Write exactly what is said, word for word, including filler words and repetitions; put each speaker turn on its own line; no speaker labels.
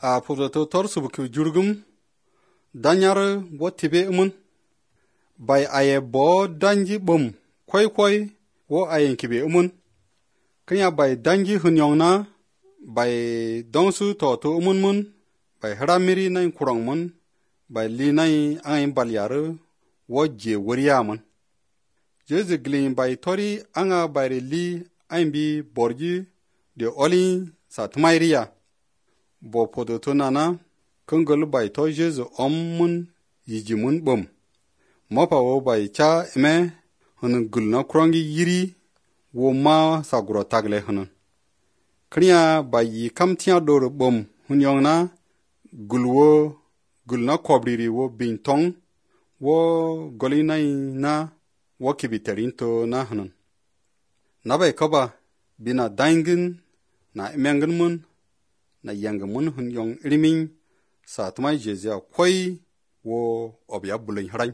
a pubzato tor subku jurgum danyar wo tibe umun bai aye bo danji bum koi koi wo ayen kibe umun kanya bai danji hunyong na bai dongsu to to umun mun bai haramiri nai kurang mun bai li nai ayin balyaru wo je wariya mun jeze glin bai tori anga bai li ayin bi borji de oli sa tmairiya bo podo to nana kungol bai to jesu om mun yiji mun bum mopa wo bai cha eme hunun gulna krongi yiri wo ma saguro tagle hunun kriya bai yi kamtia dor bum hunyong na gulwo gulna kobriri wo bintong wo golinai na wo kibiterin to na hunun na bai kaba bina dangin na emengin mun na yangin mun hunyong irimin sa tmai jezia koi wo obya bulin harai